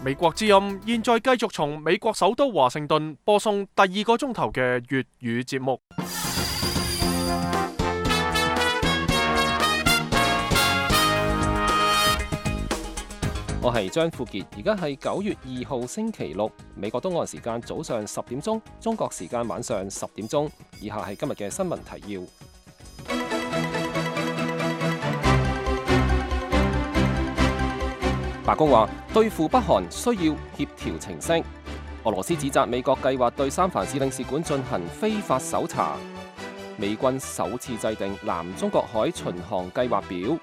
美國之音現在繼續從美國首都華盛頓播送第2個鐘頭嘅粵語節目。我係張富傑，而家係9月2號星期六，美國東岸時間早上10點鐘，中國時間晚上10點鐘。以下係今日嘅新聞提要。白宮話對付北韓需要協調程式。俄羅斯指責美國計劃對三藩市領事館進行非法搜查。美軍首次制定南中國海巡航計劃表。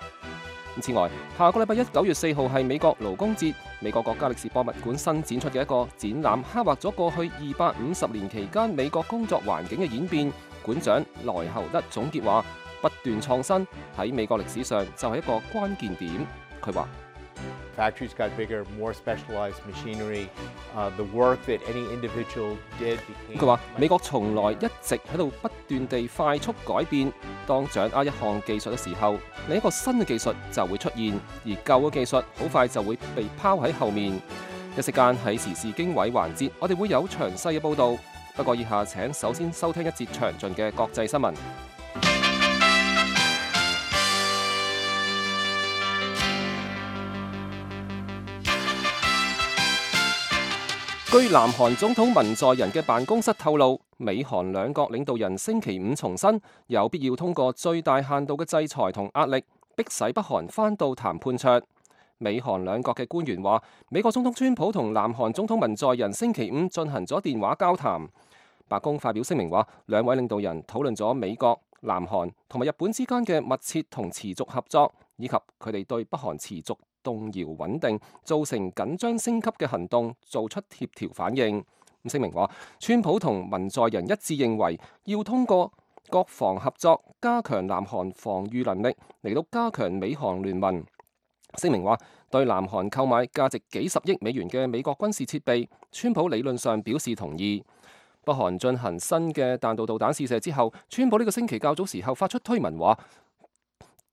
此外，下個禮拜一9月4號係美國勞工節，美國國家歷史博物館新展出嘅一個展覽，刻畫咗過去250年期間美國工作環境嘅演變。館長萊侯德總結話：不斷創新喺美國歷史上就係一個關鍵點。佢話：Factories got bigger, more specialized machinery. The work that any individual did became. 佢話美國從來一直喺度不斷地快速改變。當掌握一項技術嘅時候，另一個新嘅技術就會出現，而舊嘅技術好快就會被拋喺後面。一息間喺時事經緯環節，我哋會有詳細嘅報導。不過以下請首先收聽一節詳盡嘅國際新聞。據南韓總統文在寅嘅辦公室透露，美韓兩國領導人星期五重申有必要通過最大限度嘅制裁同壓力，迫使北韓返到談判桌。美韓兩國嘅官員話，美國總統川普同南韓總統文在寅星期五進行咗電話交談。白宮發表聲明話，兩位領導人討論咗美國、南韓同埋日本之間嘅密切同持續合作，以及佢哋對北韓持續動搖穩定造成緊張升級嘅行動做出協調反應。聲明話，川普同文在寅一致認為要通過國防合作加強南韓防禦能力，嚟到加強美韓聯盟。聲明話，對南韓購買價值幾十億美元嘅美國軍事設備，川普理論上表示同意。北韓進行新嘅彈道導彈試射之後，川普呢個星期較早時候發出推文話，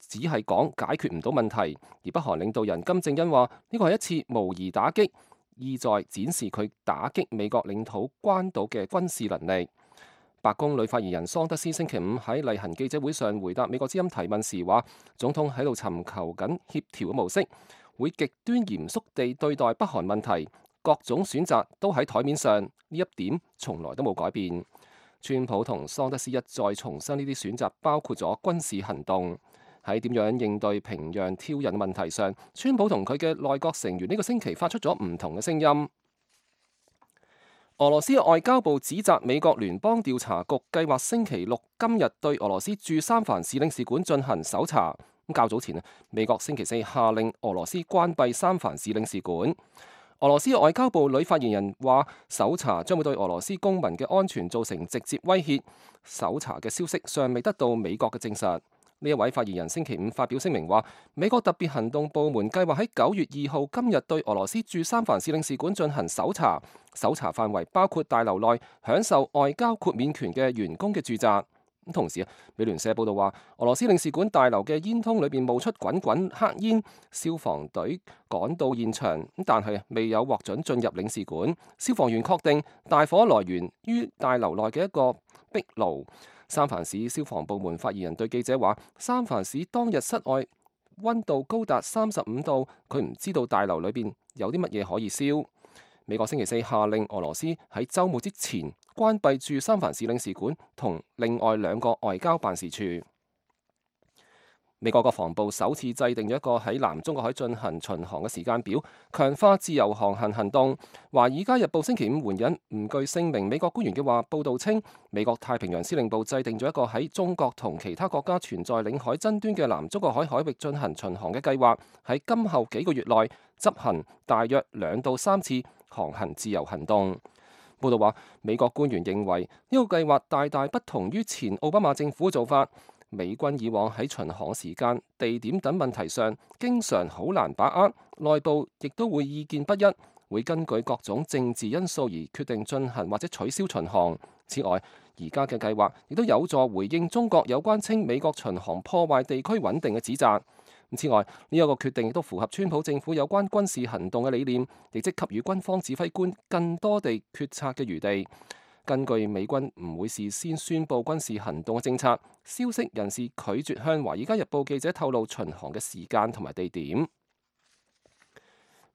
只係講解決唔到問題，而北韓領導人金正恩話呢個係一次模擬打擊，意在展示佢打擊美國領土關島嘅軍事能力。白宮女發言人桑德斯星期五喺例行記者會上回答美國之音提問時話，總統喺度尋求緊協調嘅模式，會極端嚴肅地對待北韓問題，各種選擇都喺台面上，呢一點從來都冇改變。川普同桑德斯一再重申呢啲選擇包括咗軍事行動。喺點樣應對平壤挑釁問題上，川普同佢嘅內閣成員呢個星期發出咗唔同嘅聲音。俄羅斯外交部指責美國聯邦調查局計劃星期六今日對俄羅斯駐三藩市領事館進行搜查。較早前美國星期四下令俄羅斯關閉三藩市領事館。俄羅斯外交部女發言人話，搜查將會對俄羅斯公民嘅安全造成直接威脅。搜查嘅消息尚未得到美國嘅證實。呢一位發言人星期五發表聲明話，美國特別行動部門計劃喺9月2號今日對俄羅斯駐三藩市領事館進行搜查，搜查範圍包括大樓內享受外交豁免權嘅員工嘅住宅。同時美聯社報道話，俄羅斯領事館大樓嘅煙囪裏邊冒出滾滾黑煙，消防隊趕到現場，但係未有獲准進入領事館。消防員確定大火來源於大樓內嘅一個壁爐。三藩市消防部門發言人對記者話，三藩市當日室外溫度高達35度，佢唔知道大樓裏邊有啲乜嘢可以燒。美國星期四下令俄羅斯喺週末之前關閉駐三藩市領事館同另外2個外交辦事處。美國國防部首次制定咗一個喺南中國海進行巡航嘅時間表，強化自由航行行動。華爾街日報星期五援引唔具姓名美國官員嘅話，報導稱美國太平洋司令部制定咗一個喺中國同其他國家存在領海爭端嘅南中國海海域進行巡航嘅計劃，喺今後幾個月內執行大約2到3次航行自由行動。報導話，美國官員認為呢個計劃大大不同於前奧巴馬政府嘅做法。美軍以往喺巡航時間、地點等問題上，經常好難把握，內部亦都會意見不一，會根據各種政治因素而決定進行或者取消巡航。此外，而家嘅計劃亦都有助回應中國有關稱美國巡航破壞地區穩定嘅指責。此外，呢一個決定亦都符合川普政府有關軍事行動嘅理念，亦即給予軍方指揮官更多地決策嘅餘地。根據美軍唔會事先宣佈軍事行動嘅政策，消息人士拒絕向《華爾街日報》記者透露巡航嘅時間同埋地點。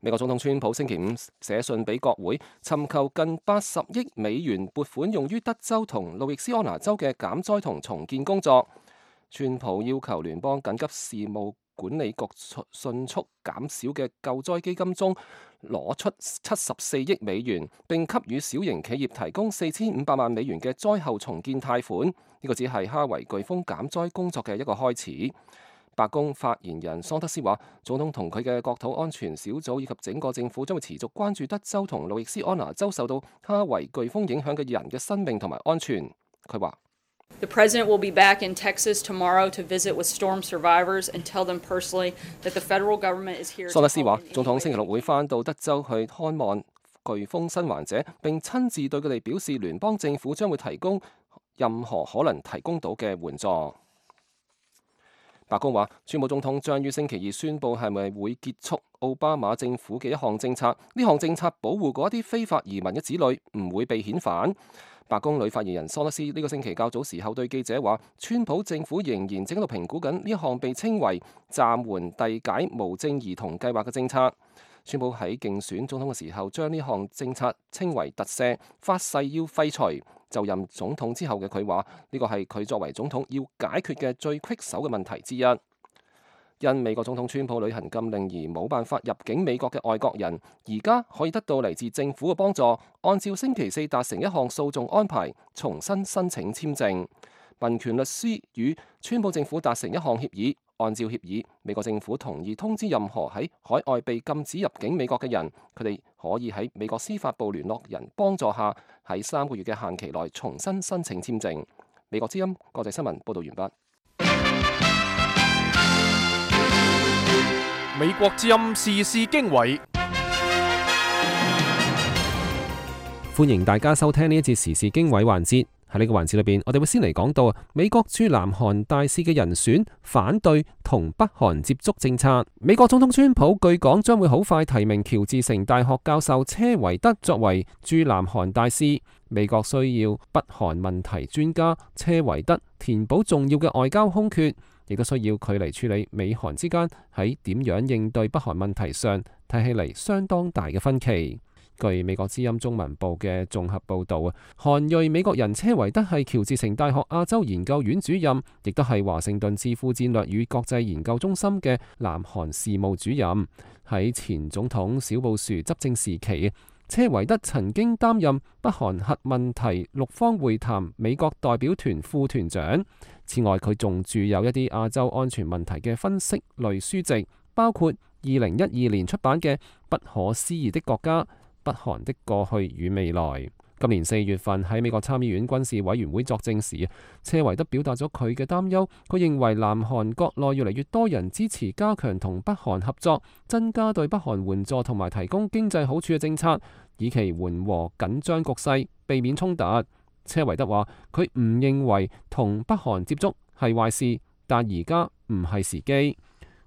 美國總統川普星期五寫信俾國會，尋求近80億美元撥款用於德州同路易斯安那州嘅減災同重建工作。川普要求聯邦緊急事務管理局迅速減少嘅救災基金中攞出74億美元，並給予小型企業提供4500萬美元嘅災後重建貸款。呢個只係哈維颶風減災工作嘅一個開始。白宮發言人桑德斯話，總統同佢嘅國土安全小組以及整個政府將會持續關注德州同路易斯安那州受到哈維颶風影響嘅人嘅生命同埋安全。佢話：The president will be back in Texas tomorrow to visit with storm survivors and tell them personally that the federal government is here. 桑德斯話，總統星期六會返到德州去看望颶風生還者，並親自對佢哋表示聯邦政府將會提供任何可能提供到嘅援助。白宮話，川普總統將於星期二宣布係咪會結束奧巴馬政府嘅一項政策。呢項政策保護嗰一啲非法移民嘅子女唔會被遣返。白宮女發言人桑德斯呢個星期較早時候對記者話，川普政府仍然正喺度評估緊呢一項被稱為暫緩遞解無證兒童計劃嘅政策。川普喺競選總統嘅時候將呢項政策稱為特赦，發誓要廢除。就任總統之後嘅佢話，呢個係佢作為總統要解決嘅最棘手嘅問題之一。因美國總統川普履行禁令而冇辦法入境美國嘅外國人，而家可以得到嚟自政府嘅幫助，按照星期四達成一項訴訟安排，重新申請簽證。民權律師與川普政府達成一項協議，按照協議，美國政府同意通知任何喺海外被禁止入境美國嘅人，佢哋可以喺美國司法部聯絡人幫助下，喺3個月嘅限期內重新申請簽證。美國之音國際新聞報道完畢。美國之音時事經緯，歡迎大家收聽呢一節時事經緯環節。喺呢個環節裏邊，我哋會先嚟講到美國駐南韓大使嘅人選反對同北韓接觸政策。美國總統川普據講將會好快提名喬治城大學教授車維德作為駐南韓大使。美國需要北韓問題專家車維德填補重要嘅外交空缺，亦都需要佢嚟處理美韓之間喺點樣應對北韓問題上睇起嚟相當大嘅分歧。據美國之音中文部嘅綜合報導啊，韓裔美國人車維德係喬治城大學亞洲研究院主任，亦都係華盛頓智庫戰略與國際研究中心嘅南韓事務主任。喺前總統小布殊執政時期，車維德曾經擔任北韓核問題六方會談美國代表團副團長。此外，佢仲著有一啲亞洲安全問題嘅分析類書籍，包括2012年出版嘅《不可思議的國家：北韓的過去與未來》。今年4月份喺美國參議院軍事委員會作證時，車維德表達咗佢嘅擔憂。佢認為南韓國內越嚟越多人支持加強同北韓合作，增加對北韓援助同埋提供經濟好處嘅政策，以期緩和緊張局勢，避免衝突。車維德話：佢唔認為同北韓接觸係壞事，但而家唔係時機。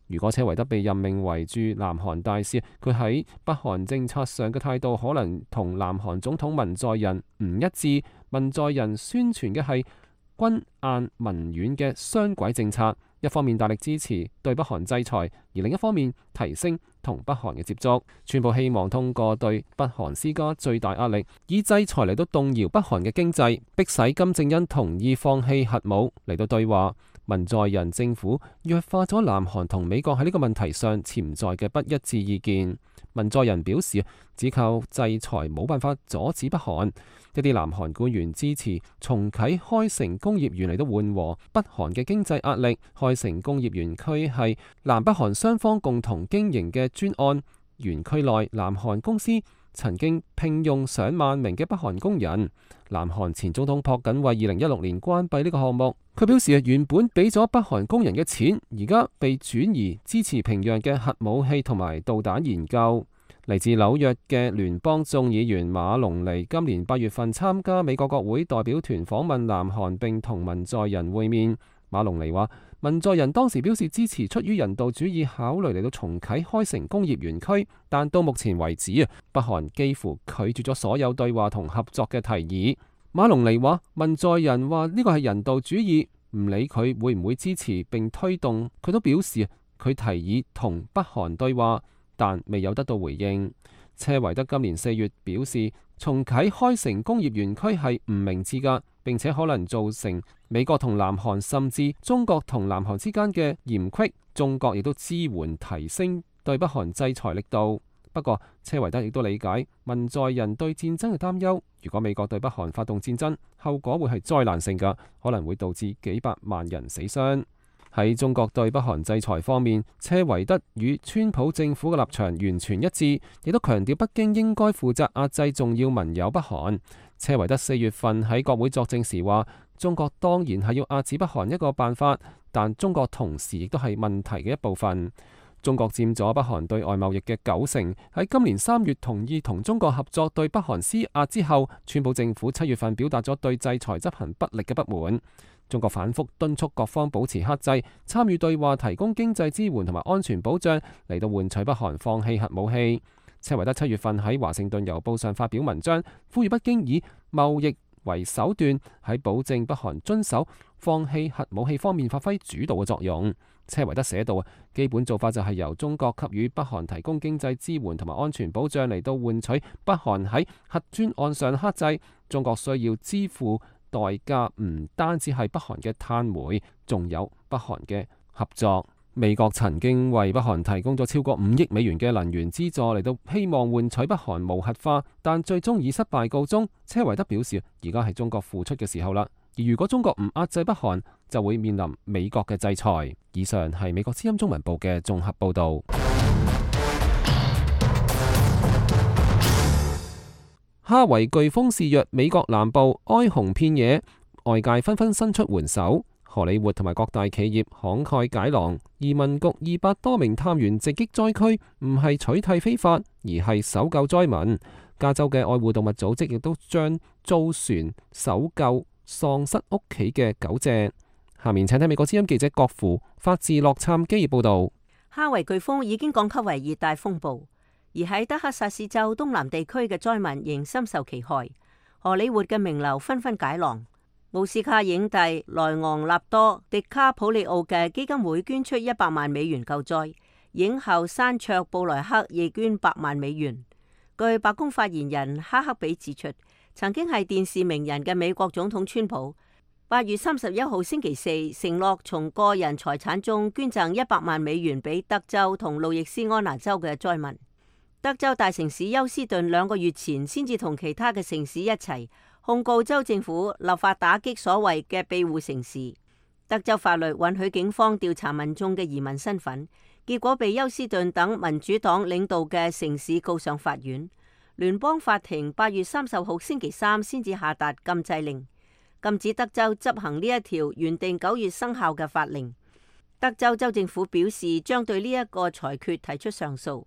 如果車維德被任命為駐南韓大使，佢喺北韓政策上嘅態度可能同南韓總統文在寅唔一致。文在寅宣傳嘅係軍硬民軟嘅雙軌政策，一方面大力支持對北韓制裁，而另一方面提升同北韓嘅接觸。川普希望通過對北韓施加最大壓力，以制裁嚟到動搖北韓嘅經濟，迫使金正恩同意放棄核武嚟到對話。文在寅政府弱化咗南韓同美國喺呢個問題上潛在嘅不一致意見。文在寅表示，只靠制裁冇辦法阻止北韓。一啲南韓官員支持重啟開城工業園嚟到緩和北韓嘅經濟壓力。開城工業園區係南北韓雙方共同經營嘅專案，園區內南韓公司曾經聘用上萬名嘅北韓工人。南韓前總統朴槿惠2016年關閉呢個項目。佢表示原本俾咗北韓工人嘅錢，而家被轉移支持平壤嘅核武器同埋導彈研究。嚟自紐約嘅聯邦眾議員馬龍尼今年8月份參加美國國會代表團訪問南韓，並同文在寅會面。馬龍尼話，文在寅當時表示支持出於人道主義考慮嚟到重啟開城工業園區，但到目前為止北韓幾乎拒絕咗所有對話同合作嘅提議。馬龍尼話，文在寅話呢個係人道主義，唔理佢會唔會支持並推動，佢都表示佢提議同北韓對話，但未有得到回應。車維德今年4月表示，重啟開城工業園區係唔明智㗎，並且可能造成美國同南韓甚至中國同南韓之間嘅嫌隙。中國亦都支援提升對北韓制裁力度。不過，車維德亦都理解文在寅對戰爭嘅擔憂。如果美國對北韓發動戰爭，後果會係災難性㗎，可能會導致幾百萬人死傷。喺中國對北韓制裁方面，車維德與川普政府嘅立場完全一致，亦都強調北京應該負責壓制重要盟友北韓。車維德4月份喺國會作證時話，中國當然係要壓制北韓一個辦法，但中國同時亦都係問題嘅一部分。中國佔咗北韓對外貿易嘅90%。喺今年3月同意同中國合作對北韓施壓之後，川普政府7月份表達咗對制裁執行不力嘅不滿。中國反覆敦促各方保持克制，參與對話，提供經濟支援同埋安全保障，嚟到換取北韓放棄核武器。車維德7月份喺華盛頓郵報上發表文章，呼籲北京以貿易為手段，喺保證北韓遵守放棄核武器方面發揮主導嘅作用。車維德寫道，基本做法就係由中國給予北韓提供經濟支援同埋安全保障，嚟到換取北韓喺核專案上克制。中國需要支付代價唔單止係北韓嘅碳煤，仲有北韓嘅合作。美國曾經為北韓提供咗超過5億美元嘅能源資助，嚟到希望換取北韓無核化，但最終以失敗告終。車維德表示，而家係中國付出嘅時候啦，而如果中國唔壓制北韓，就會面臨美國嘅制裁。以上係美國之音中文部嘅綜合報導。哈維颶風肆虐美國南部，哀鴻遍野，外界紛紛伸出援手。荷里活同埋各大企業慷慨解囊，移民局200多名探員直擊災區，唔係取締非法，而係搜救災民。加州嘅愛護動物組織亦都將租船搜救喪失屋企嘅狗隻。下面請睇美國之音記者郭芙發自洛杉磯報道。哈維颶風已經降級為熱帶風暴，而喺德克薩斯州東南地區嘅災民仍深受其害。荷里活嘅名流紛紛解囊。奧斯卡影帝萊昂納多·迪卡普里奧嘅基金會捐出100萬美元救災，影后珊卓布萊克亦捐8萬美元。據白宮發言人哈克比指出，曾經係電視名人嘅美國總統川普8月31號星期四承諾從個人財產中捐贈100萬美元俾德州同路易斯安那州嘅災民。德州大城市休斯頓2個月前先至同其他嘅城市一齊控告州政府立法打擊所謂嘅庇護城市。德州法律允許警方調查民眾嘅移民身份，結果被休斯頓等民主黨領導嘅城市告上法院。聯邦法庭8月30號星期三先至下達禁制令，禁止德州執行呢一條原定9月生效嘅法令。德州州政府表示將對呢一個裁決提出上訴。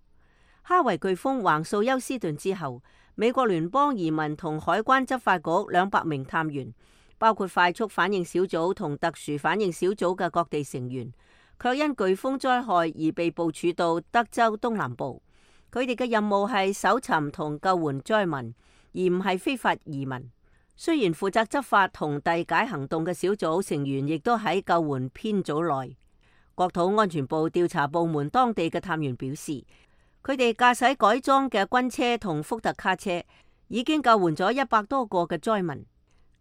哈維颶風橫掃休斯頓之後，美國聯邦移民同海關執法局200名探員，包括快速反應小組同特殊反應小組嘅各地成員，卻因颶風災害而被部署到德州東南部。佢哋嘅任務係搜尋同救援災民，而唔係非法移民。雖然負責執法同遞解行動嘅小組成員亦都喺救援編組內。國土安全部調查部門當地嘅探員表示，佢哋駕駛改裝嘅軍車同福特卡車，已經救援咗100多個嘅災民。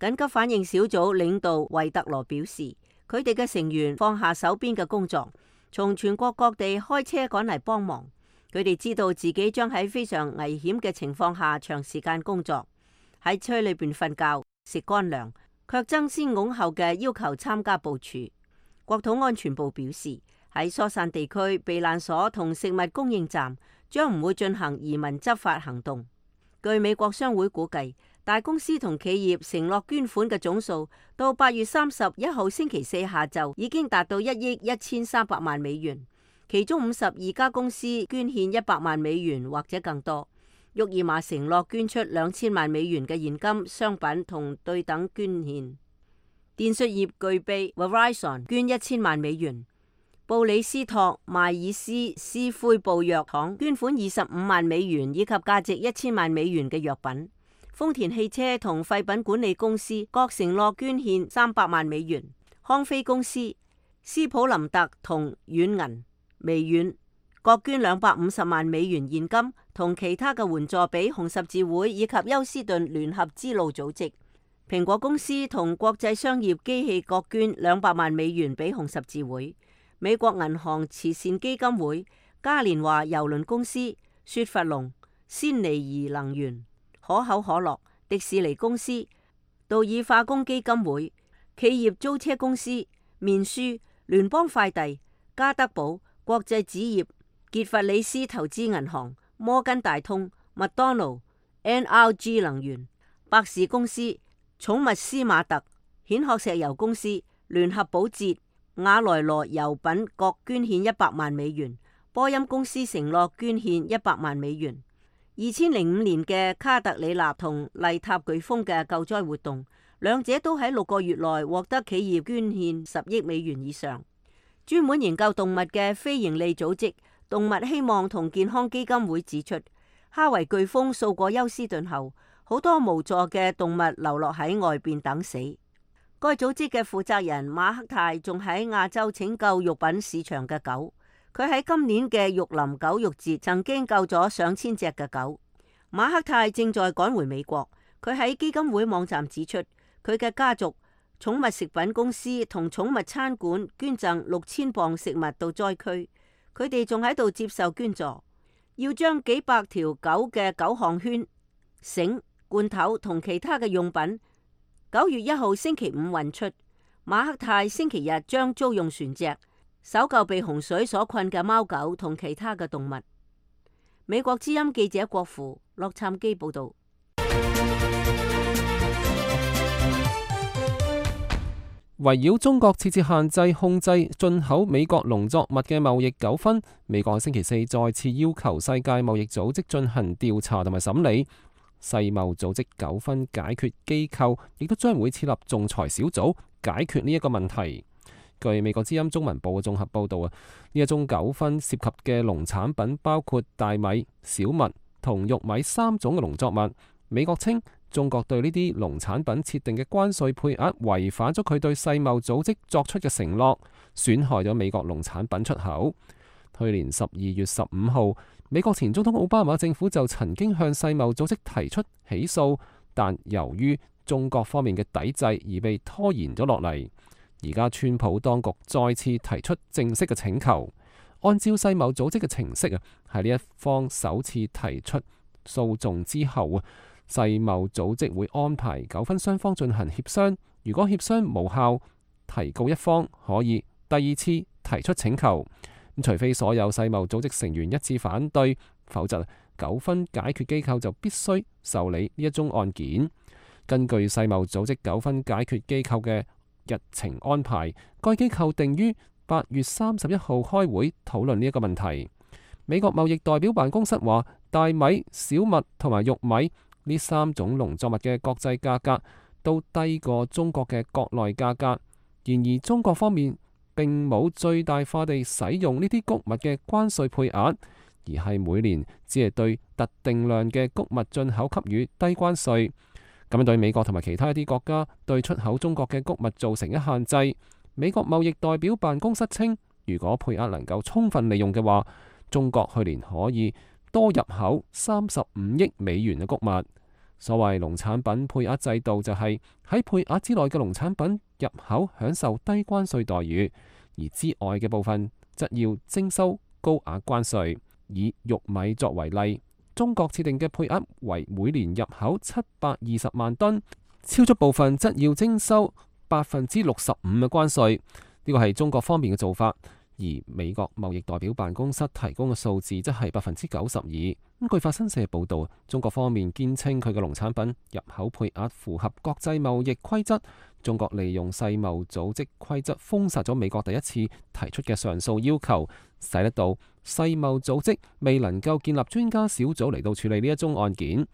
緊急反應小組領導維特羅表示，佢哋嘅成員放下手邊嘅工作，從全國各地開車趕嚟幫忙。佢哋知道自己將喺非常危險嘅情況下長時間工作，喺車裏邊瞓覺、食乾糧，卻爭先恐後嘅要求參加部署。國土安全部表示，喺疏散地區、避難所同食物供應站將唔會進行移民執法行動。據美國商會估計，大公司同企業承諾捐款嘅總數，到8月31號星期四下晝已經達到1億1300萬美元，其中52家公司捐獻100萬美元或者更多。沃爾瑪承諾捐出2000萬美元嘅現金、商品同對等捐獻。電訊業巨擘 Verizon 捐1000萬美元，布里斯托邁爾斯斯奎布藥廠捐款25萬美元以及價值1000萬美元嘅藥品。豐田汽車同廢品管理公司各承諾捐獻300萬美元。康菲公司、斯普林特同軟銀微軟各捐250萬美元現金同其他嘅援助俾紅十字會以及休斯頓聯合支路組織。蘋果公司同國際商業機器各捐200萬美元俾紅十字會。美國銀行慈善基金會、嘉年華郵輪公司、雪佛龍、鮮尼怡能源、可口可樂、迪士尼公司、道爾化工基金會、企業租車公司、面書、聯邦快遞、加德堡、國際紙業、傑弗里斯投資銀行、摩根大通、麥當勞、NRG 能源、百事公司、寵物斯馬特、蜆殼石油公司、聯合保潔、雅萊羅油品各捐獻100萬美元。波音公司承諾捐獻100萬美元。2005年嘅卡特里納同麗塔颶風嘅救災活動，兩者都喺6個月內獲得企業捐獻10億美元以上。專門研究動物嘅非營利組織動物希望同健康基金會指出，哈維颶風掃過休斯頓後，好多無助嘅動物流落喺外邊等死。該組織嘅負責人馬克泰仲喺亞洲拯救肉品市場嘅狗。佢喺今年嘅玉林狗肉節曾經救咗上千隻嘅狗。馬克泰正在趕回美國。佢喺基金會網站指出，佢嘅家族寵物食品公司同寵物餐館捐贈6000磅食物到災區。佢哋仲喺度接受捐助，要將幾百條狗嘅狗項圈、繩、罐頭同其他嘅用品9月1號星期五運出。馬克泰星期日將租用船隻搜救被洪水所困嘅貓狗同其他嘅動物。美國之音記者郭芙、洛杉磯報道。圍繞中國設置限制控制進口美國農作物嘅貿易糾紛，美國星期四再次要求世界貿易組織進行調查同埋審理。世貿組織糾紛解決機構亦都將會設立仲裁小組解決呢一個問題。據美國之音中文部嘅綜合報道呢一宗糾紛涉及嘅農產品包括大米、小麥同玉米3種嘅農作物。美國稱中國對呢啲農產品設定嘅關稅配額違反咗佢對世貿組織作出嘅承諾，損害咗美國農產品出口。去年12月15號，美國前總統奧巴馬政府就曾經向世貿組織提出起訴，但由於中國方面嘅抵制而被拖延咗落嚟。而家川普當局再次提出正式嘅請求，按照世貿組織嘅程式喺呢一方首次提出訴訟之後世貿組織會安排糾紛雙方進行協商，如果協商無效，提告一方可以第2次提出請求。除非所有世貿組織成員一致反對，否則糾紛解決機構就必須受理呢一宗案件。根據世貿組織糾紛解決機構嘅日程安排，該機構定於8月31號開會討論呢一個問題。美國貿易代表辦公室話，大米、小麥同埋玉米呢3種農作物嘅國際價格都低過中國嘅國內價格。然而中國方面並冇最大化地使用呢啲穀物嘅關稅配額，而係每年只係對特定量嘅穀物進口給予低關稅。咁樣對美國同埋其他一啲國家對出口中國嘅穀物造成一限制。美國貿易代表辦公室稱，如果配額能夠充分利用嘅話，中國去年可以多入口35億美元嘅穀物。所謂農產品配額制度就係喺配額之內嘅農產品入口享受低關稅待遇，而之外嘅部分則要徵收高額關稅。以玉米作為例，中國設定嘅配額為每年入口720萬噸，超出部分則要徵收65%嘅關稅。呢個係中國方面嘅做法，而美國貿易代表辦公室提供嘅數字則係92%。據法新社報導，中國方面堅稱佢嘅農產品入口配額符合國際貿易規則。中國利用世貿組織規則封殺咗美國第一次提出嘅上訴要求，使得到世貿組織未能夠建立專家小組嚟到處理呢一宗案件。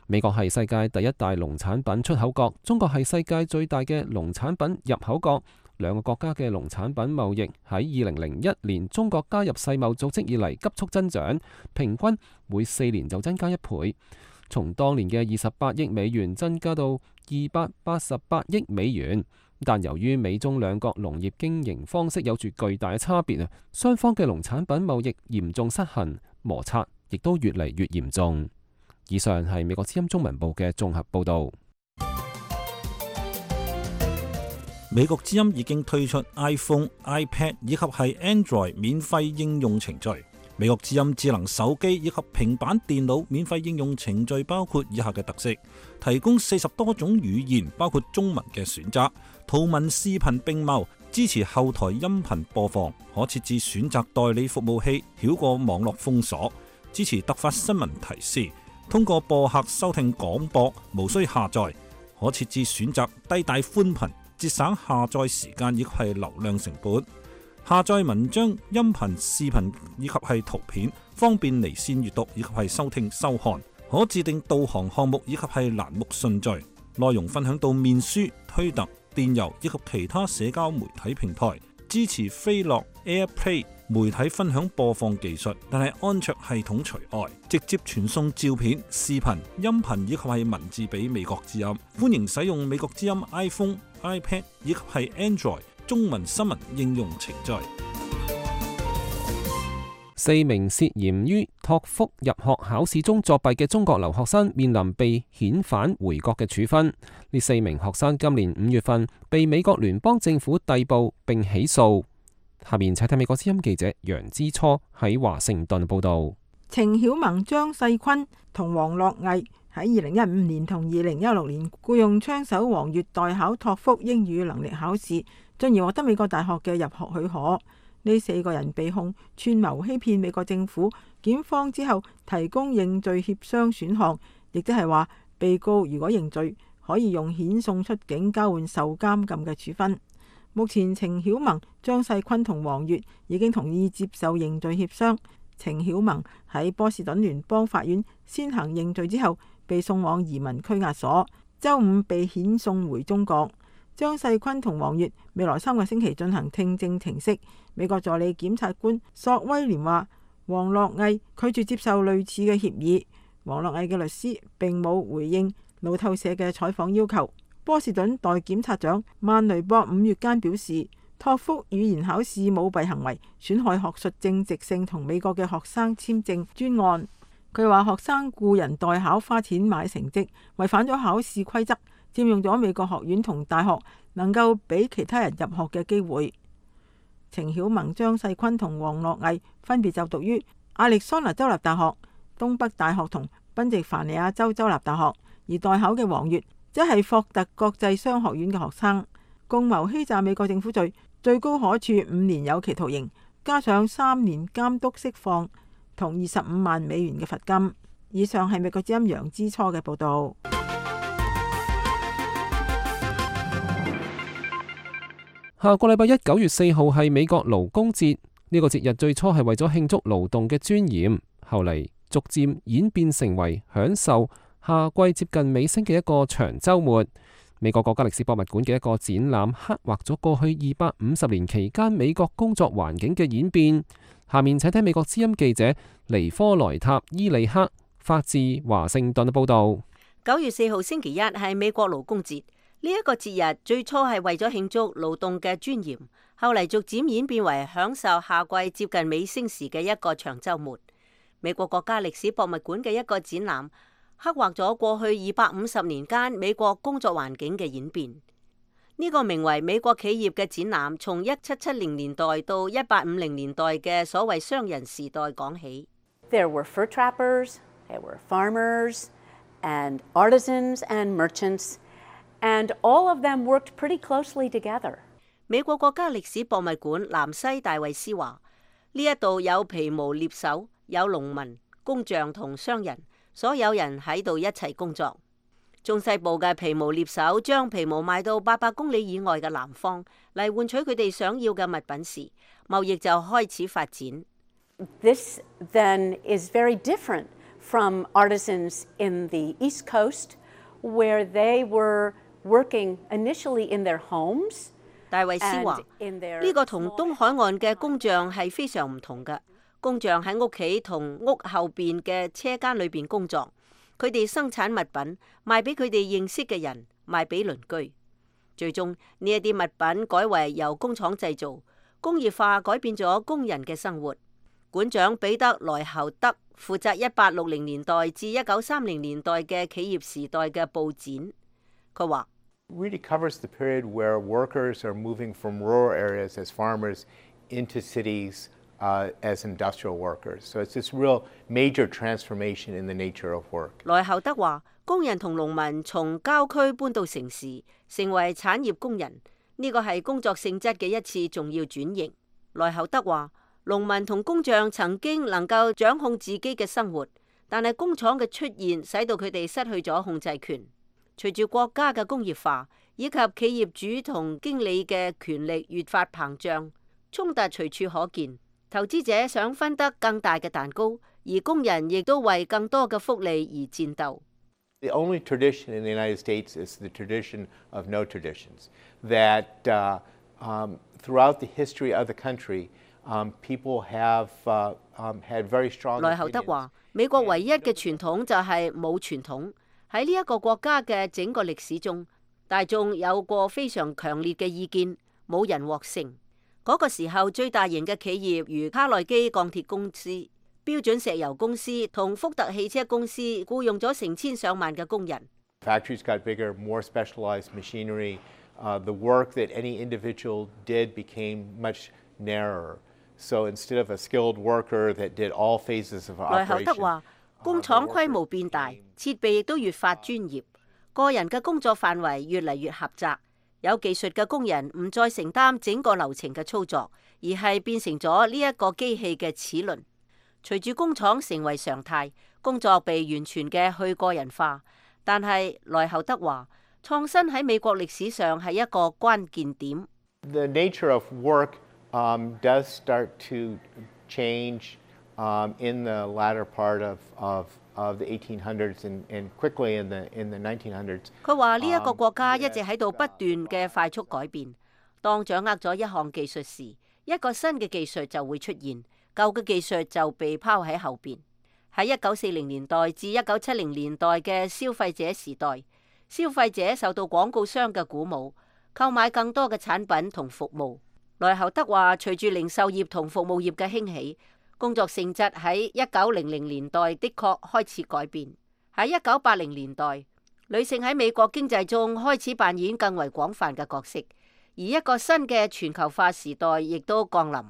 美國係世界第一大農產品出口國，中國係世界最大嘅農產品入口國。兩個國家嘅農產品貿易喺2001年中國加入世貿組織以嚟急速增長，平均每4年就增加1倍，從當年嘅28億美元增加到288億美元。但由於美中兩國農業經營方式有住巨大嘅差別啊，雙方嘅農產品貿易嚴重失衡，摩擦亦都越嚟越嚴重。以上係美國之音中文部嘅綜合報導。美國之音已經推出 iPhone、iPad 以及係 Android 免費應用程序。美國之音智能手機以及平板電腦免費應用程序包括以下嘅特色：提供40多種語言，包括中文嘅選擇，圖文視頻並茂，支持後台音頻播放，可設置選擇代理服務器，繞過網絡封鎖，支持突發新聞提示。通過播客收聽廣播，無需下載，可設置選擇低帶寬頻，節省下載時間以及係流量成本。下載文章、音頻、視頻以及係圖片，方便離線閱讀以及係收聽收看。可自定導航項目以及係欄目順序，內容分享到面書、推特、電郵以及其他社交媒體平台。支持飛樂 AirPlay 媒體分享播放技術，但係安卓系統除外。直接傳送照片、視頻、音頻以及係文字俾美國之音。歡迎使用美國之音 iPhone、iPad 以及係 Android 中文新聞應用程序。4名涉嫌於托福入學考試中作弊嘅中國留學生面臨被遣返回國嘅處分。呢4名學生今年5月份被美國聯邦政府逮捕並起訴。下面請睇美國之音記者楊之初喺華盛頓報道。程曉萌、張世坤同王樂毅喺2015年同2016年僱用槍手王乙代考托福英語能力考試，進而獲得美國大學嘅入學許可。呢4個人被控串謀欺騙美國政府，檢方之後提供認罪協商選項，亦即係話被告如果認罪，可以用遣送出境交換受監禁嘅處分。目前程曉萌、張世坤同王乙已經同意接受認罪協商。程曉萌喺波士頓聯邦法院先行認罪之後，被送往移民拘押所，週5被遣送回中國。張世坤同王乙未來3個星期進行聽證庭息。美國助理檢察官索威廉話，王樂毅拒絕接受類似嘅協議。王樂毅嘅律師並冇回應路透社嘅採訪要求。波士頓代檢察長曼雷博5月間表示，托福語言考試舞弊行為損害學術正直性同美國嘅學生簽證專案。佢話學生雇人代考花錢買成績，違反咗考試規則，佔用咗美國學院同大學能夠俾其他人入學嘅機會。程曉萌、張世坤同王樂毅分別就讀於亞利桑那州立大學、東北大學同賓夕凡尼亞州州立大學，而代考嘅王乙即係霍特國際商學院嘅學生。共謀欺詐美國政府罪，最高可處5年有期徒刑，加上3年監督釋放同25萬美元嘅罰金。以上係美國之音楊之初嘅報道。下個禮拜一9月4號係美國勞工節，呢個節日最初係為咗慶祝勞動嘅尊嚴，後嚟逐漸演變成為享受夏季接近尾聲嘅一個長週末。美國國家歷史博物館嘅一個展覽刻畫咗過去250年期間美國工作環境嘅演變。下面請聽美國之音記者尼科萊塔伊利克發自華盛頓嘅報道。9月4號星期一係美國勞工節。呢一個節日最初係為咗慶祝勞動嘅尊嚴，後嚟逐漸演變為享受夏季接近尾聲時嘅一個長週末。美國國家歷史博物館嘅一個展覽刻畫咗過去250年間美國工作環境嘅演變。呢個名為美國企業嘅展覽，從1770年代到1850年代嘅所謂商人時代講起。There were fur trappers, there were farmers, and artisans and merchants.And all of them worked pretty closely together. 美國國家歷史博物館南西戴維斯話：呢一度有皮毛獵手，有農民、工匠同商人，所有人喺度一齊工作。中西部嘅皮毛獵手將皮毛賣到800公里以外嘅南方，嚟換取佢哋想要嘅物品時，貿易就開始發展。This then is very different from artisans in the East Coast, where they were working initially in their homes. 戴維斯話：呢個同東海岸嘅工匠係非常唔同嘅。工匠喺屋企同屋後邊嘅車間裏邊工作，佢哋生產物品賣俾佢哋認識嘅人，賣俾鄰居。最終呢一啲物品改為由工廠製造，工業化改變咗工人嘅生活。館長彼得萊侯德負責1860年代至1930年代嘅企業時代嘅佈展。佢話really covers the period where workers are moving from rural areas as farmers into cities as industrial workers. So it's this real major transformation in the nature of work. 萊侯德話：工人同農民從郊區搬到城市，成為產業工人，呢個係工作性質嘅一次重要轉型。萊侯德話：農民同工匠曾經能夠掌控自己嘅生活，但係工廠嘅出現使到佢哋失去咗控制權。隨住國家嘅工業化以及企業主同經理嘅權力越發膨脹，衝突隨處可見。投資者想分得更大嘅蛋糕，而工人亦都為更多嘅福利而戰鬥。The only tradition in the United States is the tradition of no traditions. That throughout the history of the country, people have had very strong. 萊侯德話：美國唯一嘅傳統就係冇傳統。喺呢一個國家嘅整個歷史中，大眾有過非常強烈嘅意見，冇人獲勝。嗰個時候，最大型嘅企業如卡內基鋼鐵公司、標準石油公司同福特汽車公司僱用咗成千上萬嘅工人。Factories got bigger, more specialized machinery. The work that any individual did became much narrower. So instead of a skilled worker that did all phases of operation. 萊侯德話：工廠規模變大，設備亦都越發專業，個人嘅工作範圍越嚟越狹窄。有技術嘅工人唔再承擔整個流程嘅操作，而係變成咗呢一個機器嘅齒輪。隨住工廠成為常態，工作被完全嘅去個人化。但係萊侯德話，創新喺美國歷史上係一個關鍵點。The nature of work does start to change in the latter part of the 1800s and quickly in the 1900s. 佢話呢一個國家一直喺度不斷嘅快速改變。當掌握咗一項技術時，一個新嘅技術就會出現，舊嘅技術就被拋喺後邊。喺1940年代至1970年代嘅消費者時代，消費者受到廣告商嘅鼓舞，購買更多嘅產品同服務。萊侯德話，隨住零售業同服務業嘅興起，工作性質喺1900年代的確開始改變。喺1980年代，女性喺美國經濟中開始扮演更為廣泛嘅角色，而一個新嘅全球化時代亦都降臨。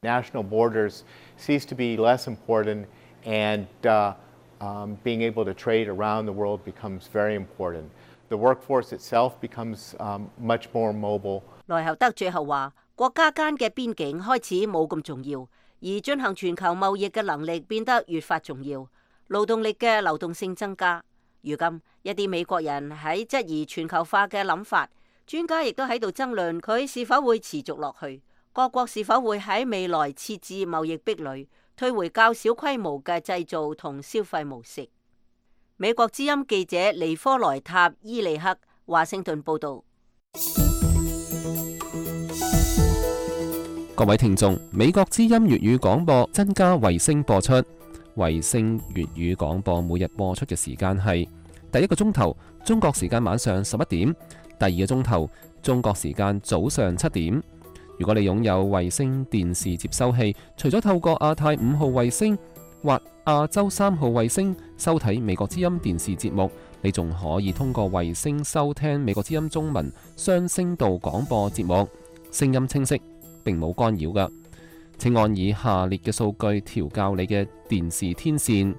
National borders cease to be less important, and being able to trade around the world becomes very important. The workforce itself becomes much more mobile. 萊侯德最後話，國家間嘅邊境開始冇咁重要。而進行全球貿易嘅能力變得越發重要，勞動力嘅流動性增加。如今一啲美國人喺質疑全球化嘅諗法，專家亦都喺度爭論佢是否會持續落去，各國是否會喺未來設置貿易壁壘，退回較小規模嘅製造同消費模式。美國之音記者尼科萊塔伊利克華盛頓報導。各位聽眾，美國之音粵語廣播增加衛星播出。衛星粵語廣播每日播出嘅時間係第一個鐘頭中國時間晚上11點，第二個鐘頭中國時間早上7點。如果你擁有衛星電視接收器，除咗透過亞太5號衛星或亞洲3號衛星收睇美國之音電視節目，你仲可以通過衛星收聽美國之音中文雙聲道廣播節目，聲音清晰，並冇干擾㗎。請按以下列嘅數據調校你嘅電視天線：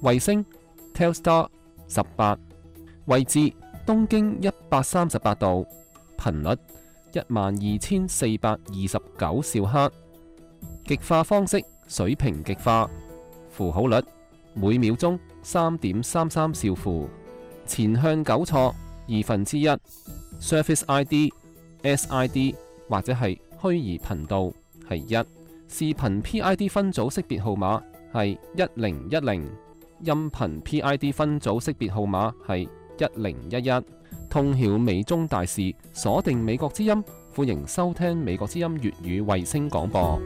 衛星 Telstar 18，位置東經138度，頻率12429兆赫，極化方式水平極化，符號率每秒鐘3.33兆符，前向糾錯1/2， Surface ID、SID 或者係虛擬頻道係1，視頻 PID 分組識別號碼係1010，音頻 PID 分組識別號碼係1011。通曉美中大事，鎖定美國之音，歡迎收聽美國之音粵語衛星廣播。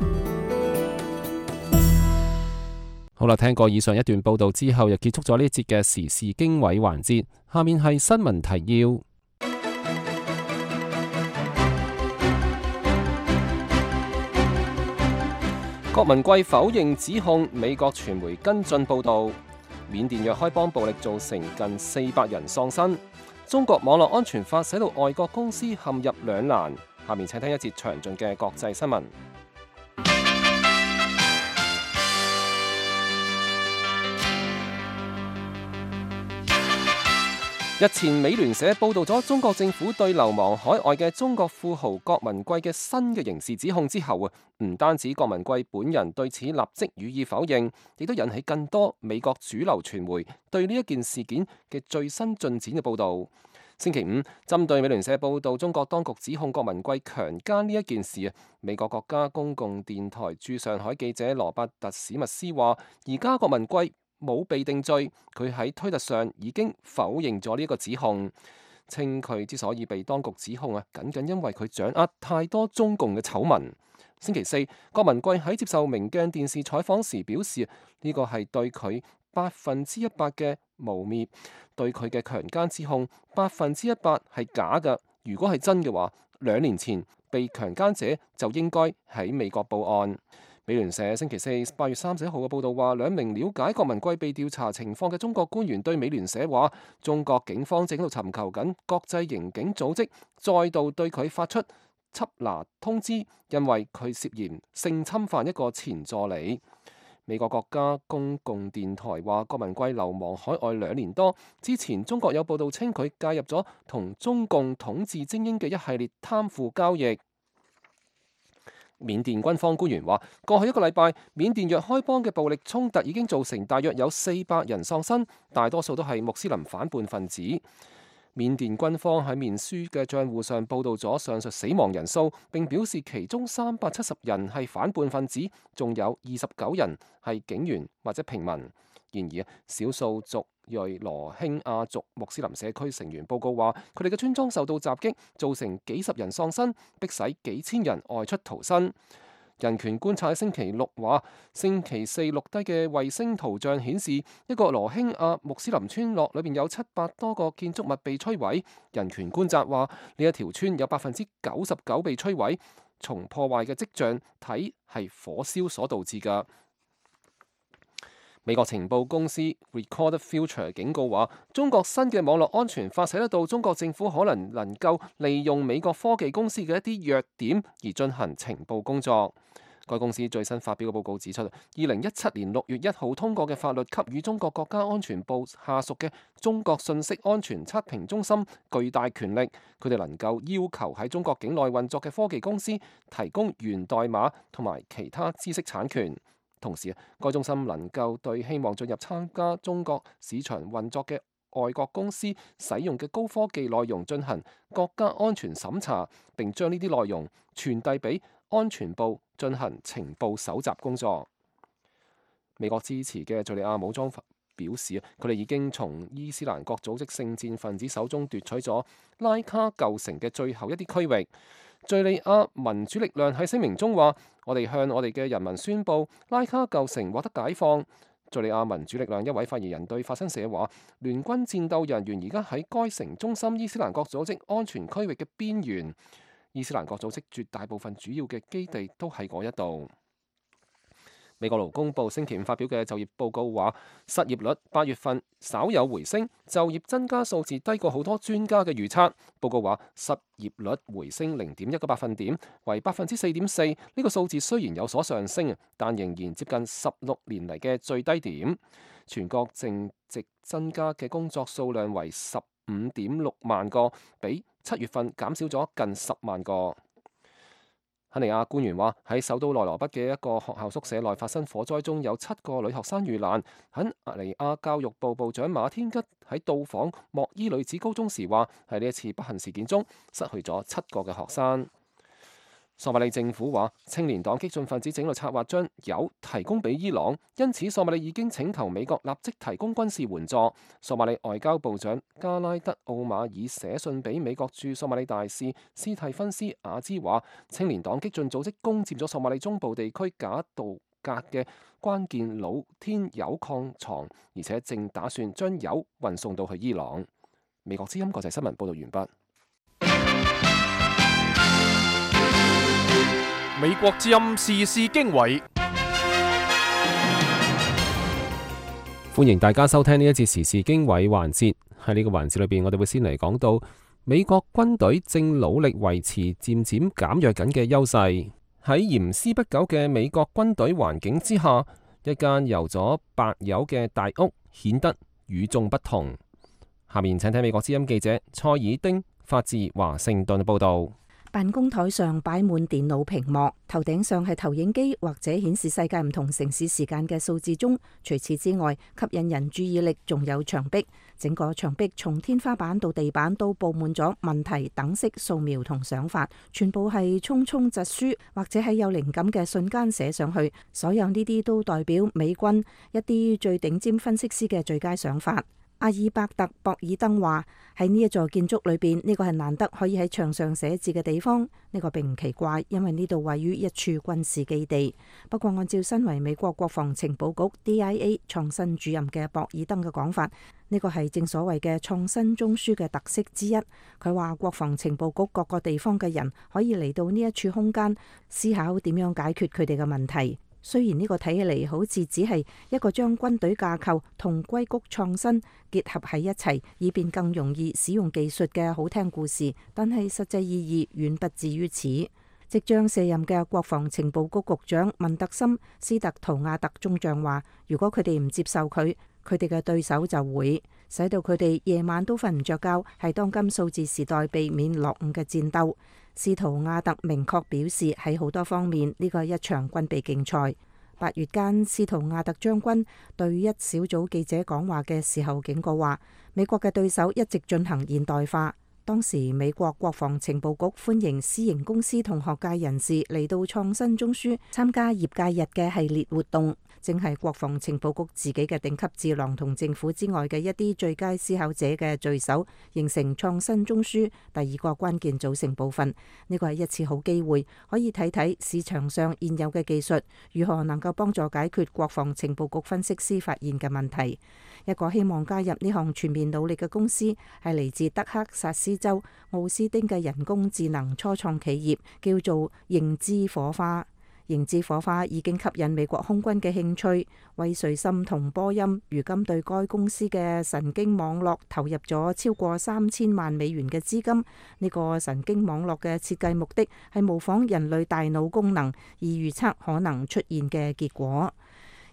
好啦，聽過以上一段報道之後，又結束咗呢一節嘅時事經緯環節。下面係新聞提要。郭文貴否認指控，美國傳媒跟進報導。緬甸若開邦暴力造成近400人喪生。中國網絡安全法使到外國公司陷入兩難。下面請聽一節詳盡嘅國際新聞。日前，美聯社報導咗中國政府對流亡海外嘅中國富豪郭文貴嘅新嘅刑事指控之後唔單止郭文貴本人對此立即予以否認，亦都引起更多美國主流傳媒對呢一件事件嘅最新進展嘅報導。星期五，針對美聯社報導中國當局指控郭文貴強姦呢一件事，美國國家公共電台駐上海記者羅伯特史密斯話：而家郭文貴冇被定罪，佢喺推特上已經否認咗呢一個指控，稱佢之所以被當局指控僅僅因為佢掌握太多中共嘅醜聞。星期四，郭文貴喺接受明鏡電視採訪時表示，呢個係對佢100%嘅誣衊，對佢嘅強姦指控100%係假嘅。如果係真嘅話，2年前被強姦者就應該喺美國報案。美聯社星期四8月31號嘅報導話，2名了解郭文貴被調查情況嘅中國官員對美聯社話，中國警方正喺度尋求緊國際刑警組織再度對佢發出緝拿通知，因為佢涉嫌性侵犯一個前助理。美國國家公共電台話，郭文貴流亡海外2年多，之前中國有報導稱佢介入咗同中共統治精英嘅一系列貪腐交易。緬甸軍方官員話，過去一個禮拜，緬甸若開邦嘅暴力衝突已經造成大約有400人喪生，大多數都係穆斯林反叛分子。緬甸軍方喺面書嘅賬戶上報導咗上述死亡人數，並表示其中370人係反叛分子，仲有29人係警員或者平民。然而，少數族裔羅興亞族穆斯林社區成員報告話，佢哋嘅村莊受到襲擊，造成幾十人喪生，迫使幾千人外出逃生。人權觀察喺星期六話，星期四錄低嘅衛星圖像顯示，一個羅興亞穆斯林村落裏面有700多個建築物被摧毀。人權觀察話，呢一條村有99%被摧毀，從破壞嘅跡象睇係火燒所導致㗎。美國情報公司 Recorded Future 警告話，中國新嘅網絡安全法使得到中國政府可能夠利用美國科技公司嘅一啲弱點而進行情報工作。該公司最新發表嘅報告指出，2017年6月1號通過嘅法律給予中國國家安全部下屬嘅中國信息安全測評中心巨大權力，佢哋能夠要求喺中國境內運作嘅科技公司提供源代碼同埋其他知識產權。同時，該中心能夠對希望進入參加中國市場運作嘅外國公司使用嘅高科技內容進行國家安全審查，並將呢啲內容傳遞俾安全部進行情報搜集工作。美國支持嘅敘利亞武裝表示，佢哋已經從伊斯蘭國組織聖戰分子手中奪取咗拉卡舊城嘅最後一啲區域。敘利亞民主力量喺聲明中話，我哋向我哋嘅人民宣佈，拉卡舊城獲得解放。敘利亞民主力量一位發言人對法新社話，聯軍戰鬥人員而家喺該城中心伊斯蘭國組織安全區域嘅邊緣，伊斯蘭國組織絕大部分主要嘅基地都喺嗰一度。美國勞工部星期五發表嘅就業報告話，失業率8月份稍有回升，就業增加數字低過好多專家嘅預測。報告話，失業率回升0.1個百分點，為4.4%。呢個數字雖然有所上升，但仍然接近16年嚟嘅最低點。全國淨值增加嘅工作數量為15.6萬個，比7月份減少咗近10萬個。肯尼亞官員話，喺首都內羅畢嘅一個學校宿舍內發生火災中，有7個女學生遇難。肯尼亞教育部部長馬天吉喺到訪莫伊女子高中時話，喺呢一次不幸事件中失去咗7個嘅學生。索馬里政府話，青年黨激進分子整路策劃將鈾提供俾伊朗，因此索馬里已經請求美國立即提供軍事援助。索馬里外交部長加拉德奧馬爾寫信俾美國駐索馬里大使斯蒂芬斯亞茲話，青年黨激進組織攻佔咗索馬里中部地區賈杜格嘅關鍵露天鈾礦床，而且正打算將鈾運送到去伊朗。美國之音國際新聞報道完畢。美國之音時事經緯，歡迎大家收聽呢一節時事經緯環節。喺呢個環節裏邊，我哋會先嚟講到美國軍隊正努力維持漸漸減弱緊嘅優勢。喺嚴絲不苟嘅美國軍隊環境之下，一間油咗白油嘅大屋顯得與眾不同。下面請睇美國之音記者蔡爾丁發自華盛頓報道。辦公台上擺滿電腦屏幕，頭頂上係投影機或者顯示世界唔同城市時間嘅數字鐘。除此之外，吸引人注意力仲有牆壁。整個牆壁從天花板到地板都佈滿咗問題等式素描同想法，全部係匆匆疾書或者喺有靈感嘅瞬間寫上去。所有呢啲都代表美軍一啲最頂尖分析師嘅最佳想法。阿爾伯特·博爾登話：喺呢一座建築裏邊，呢個係難得可以喺牆上寫字嘅地方。呢個並唔奇怪，因為呢度位於一處軍事基地。不過，按照身為美國國防情報局 DIA 創新主任嘅博爾登嘅講法，呢個係正所謂嘅創新中樞嘅特色之一。佢話國防情報局各個地方嘅人可以嚟到呢一處空間，思考點樣解決佢哋嘅問題。雖然呢個睇起嚟好似只係一個將軍隊架構同硅谷創新結合喺一齊，以便更容易使用技術嘅好聽故事，但係實際意義遠不至於此。即將卸任嘅國防情報局局長文特森·斯特圖亞特中將話，如果佢哋唔接受佢哋嘅對手就會使到佢哋夜晚都瞓唔着覺，係當今數字時代避免落伍嘅戰鬥。斯圖亞特明確表示，喺好多方面呢個係一場軍備競賽。8月間，斯圖亞特將軍對一小組記者講話嘅時候警告話，美國嘅對手一直進行現代化。當時美國國防情報局歡迎私營公司同學界人士嚟到創新中樞參加業界日嘅系列活動，正係國防情報局自己嘅頂級智囊同政府之外嘅一啲最佳思考者嘅聚首，形成創新中樞第二個關鍵組成部分。呢個係一次好機會，可以睇睇市場上現有嘅技術如何能夠幫助解決國防情報局分析師發現嘅問題。一個希望加入呢項全面努力嘅公司係嚟自德克薩斯州奧斯丁嘅人工智能初創企業，叫做認知火花。認知火花已經吸引美國空軍嘅興趣，威瑞森同波音如今對該公司嘅神經網絡投入咗超過3000萬美元嘅資金。呢個神經網絡嘅設計目的係模仿人類大腦功能，以預測可能出現嘅結果。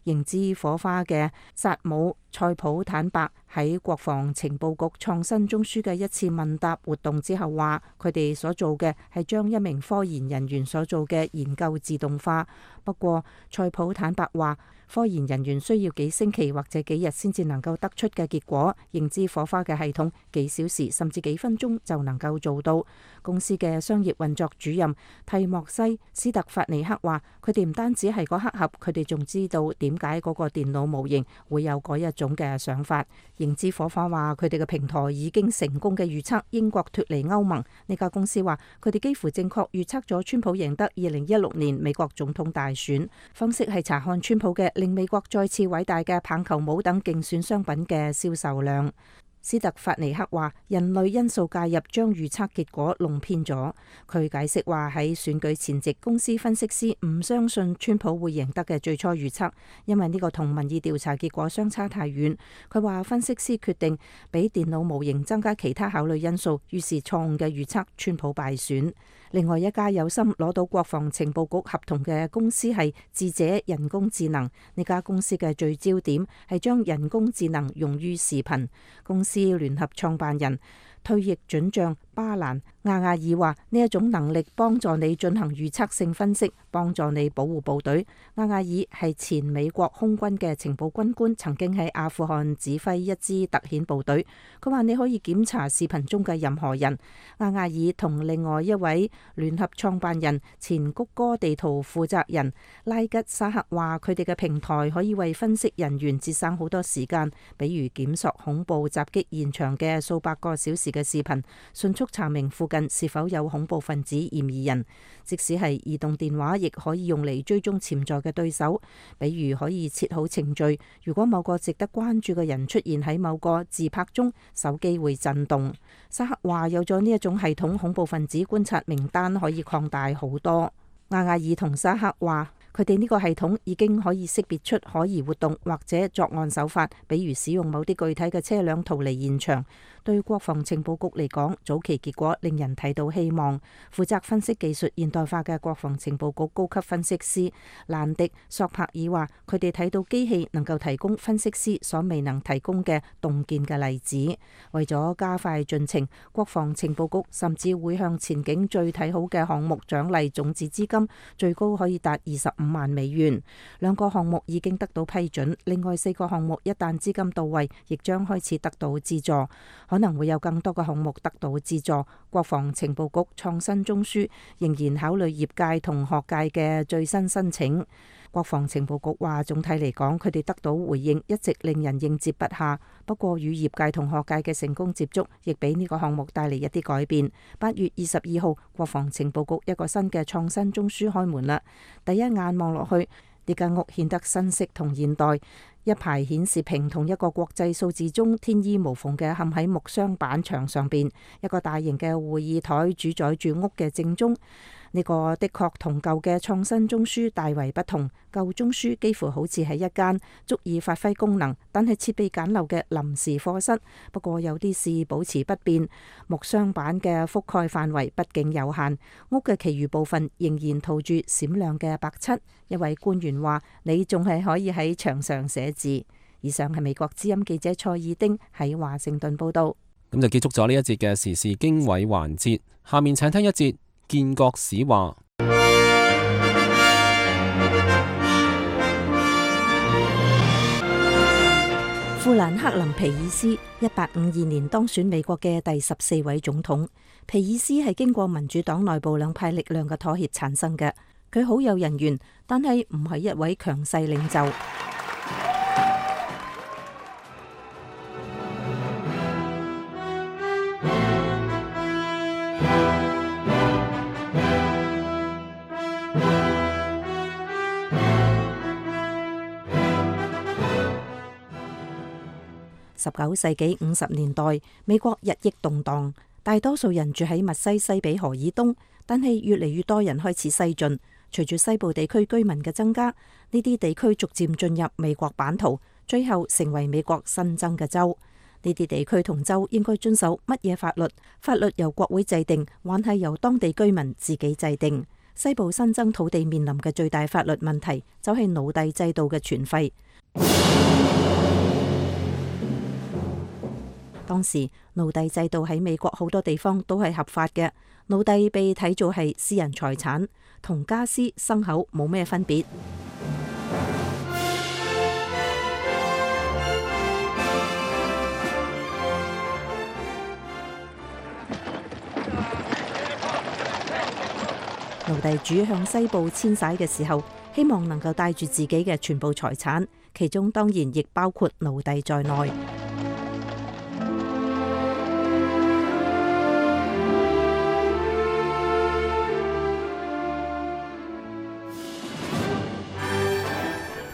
認知火花嘅薩姆塞普坦白喺國防情報局創新中樞嘅一次問答活動之後話，佢哋所做嘅係將一名科研人員所做嘅研究自動化。不過塞普坦白話，科研人員需要幾星期或者幾日先至能夠得出嘅結果，認知火花嘅系統幾小時甚至幾分鐘就能夠做到。公司嘅商業運作主任蒂莫西斯特法尼克話，佢哋唔單止係個黑盒，佢哋仲知道點解嗰個電腦模型會有嗰一種嘅想法。認知火花話，佢哋嘅平台已經成功嘅預測英國脫離歐盟。呢家公司話，佢哋幾乎正確預測咗川普贏得2016年美國總統大選。分析係查看川普嘅令美國再次偉大嘅棒球帽等競選商品嘅銷售量。斯特法尼克話，人類因素介入將預測結果弄偏咗。佢解釋話，喺選舉前夕，公司分析師唔相信川普會贏得嘅最初預測，因為呢個同民意調查結果相差太遠。佢話分析師決定俾電腦模型增加其他考慮因素，於是錯誤嘅預測川普敗選。另外一家有心攞到國防情報局合同嘅公司係智者人工智能。呢家公司嘅聚焦點係將人工智能用於視頻。公司聯合創辦人退役准將巴蘭亞亞爾話：呢一種能力幫助你進行預測性分析，幫助你保護部隊。亞亞爾係前美國空軍嘅情報軍官，曾經喺阿富汗指揮一支特遣部隊。佢話你可以檢查視頻中嘅任何人。亞亞爾同另外一位聯合創辦人前谷歌地圖負責人拉吉沙克話：佢哋嘅平台可以為分析人員節省好多時間，比如檢索恐怖襲擊現場嘅數百個小時嘅視頻，迅速查明附近是否有恐怖分子嫌疑人。即使係移動電話，亦可以用嚟追蹤潛在嘅對手，比如可以設好程序，如果某個值得關注嘅人出現喺某個自拍中，手機會震動。沙克話有咗呢一種系統，恐怖分子觀察名單可以擴大好多。亞亞爾同沙克話，佢哋呢個系統已經可以識別出可疑活動或者作案手法，比如使用某啲具體嘅車輛逃離現場。對國防情報局嚟講，早期結果令人睇到希望。負責分析技術現代化嘅國防情報局高級分析師蘭迪索柏爾話，佢哋睇到機器能夠提供分析師所未能提供嘅洞見嘅例子。為咗加快進程，國防情報局甚至會向前景最睇好嘅項目獎勵種子資金，最高可以達25萬美元。2個項目已經得到批准，另外4個項目一旦資金到位，亦將開始得到資助。可能會有更多嘅項目得到資助。國防情報局創新中樞仍然考慮業界同學界嘅最新申請。國防情報局話，總體嚟講，佢哋得到回應一直令人應接不暇。不過與業界同學界嘅成功接觸，亦俾呢個項目帶嚟一啲改變。8月22號，國防情報局一個新嘅創新中樞開門啦。第一眼望落去，呢間屋顯得新式同現代。一排顯示屏同一個國際數字鐘天衣無縫嘅嵌喺木箱板牆上邊，一個大型嘅會議台主宰住屋嘅正中。呢個的確同舊嘅創新中樞大為不同。舊中樞幾乎好似係一間足以發揮功能，但係設備簡陋嘅臨時課室。不過有啲事保持不變，木箱板嘅覆蓋範圍畢竟有限，屋嘅其餘部分仍然塗住閃亮嘅白漆。一位官員話：你仲係可以喺牆上寫字。以上係美國之音記者蔡爾丁喺華盛頓報道。咁就結束咗呢一節嘅時事經緯環節，下面請聽一節建國史話。富蘭克林皮爾斯1852年當選美國嘅第14位總統。皮爾斯係經過民主黨內部兩派力量嘅妥協產生嘅。佢好有人緣，但係唔係一位強勢領袖。19世紀50年代，美國日益動盪，大多數人住喺密西西比河以東，但係越嚟越多人開始西進。隨住西部地區居民嘅增加，呢啲地區逐漸進入美國版圖，最後成為美國新增嘅州。呢啲地區同州應該遵守乜嘢法律？法律由國會制定，還係由當地居民自己制定？西部新增土地面臨嘅最大法律問題，就係奴隸制度嘅存廢。當時奴隸制度喺美國好多地方都係合法嘅，奴隸被睇做係私人財產，同家私牲口冇咩分別。奴隸主向西部遷徙嘅時候，希望能夠帶住自己嘅全部財產，其中當然亦包括奴隸在內。